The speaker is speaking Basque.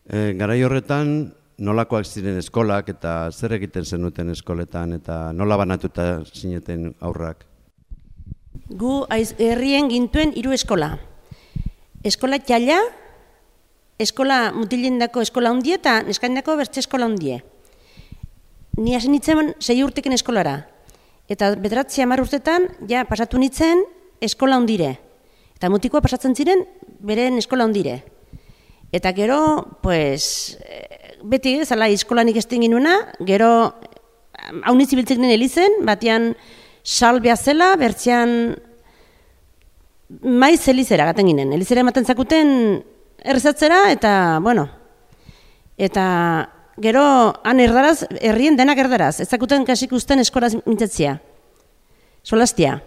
Garai horretan, nolakoak ziren eskolak eta zer egiten zenuten eskoletan eta nola banatuta zineten aurrak? Gu herrien gintuen 3 eskola. Eskola txalla, eskola mutilendako eskola hundie eta neskainako bertze eskola hundie. Ni hasi nintzen 6 urteken eskolara. Eta 9-10 urtetan ja pasatu nintzen eskola hundire. Eta mutikoa pasatzen ziren beren eskola hundire. Eta gero, pues, beti zala eskolanik esten ginuna, gero haunitz ibiltzen ginen elizen, batean salbea zela, bertzean maiz elizera gaten ginen. Elizera ematen zakuten errezatzera, eta, bueno, eta gero han erdaraz, herrien denak erdaraz, ez zakuten kasik usten eskolaz mintzatzea, solastia.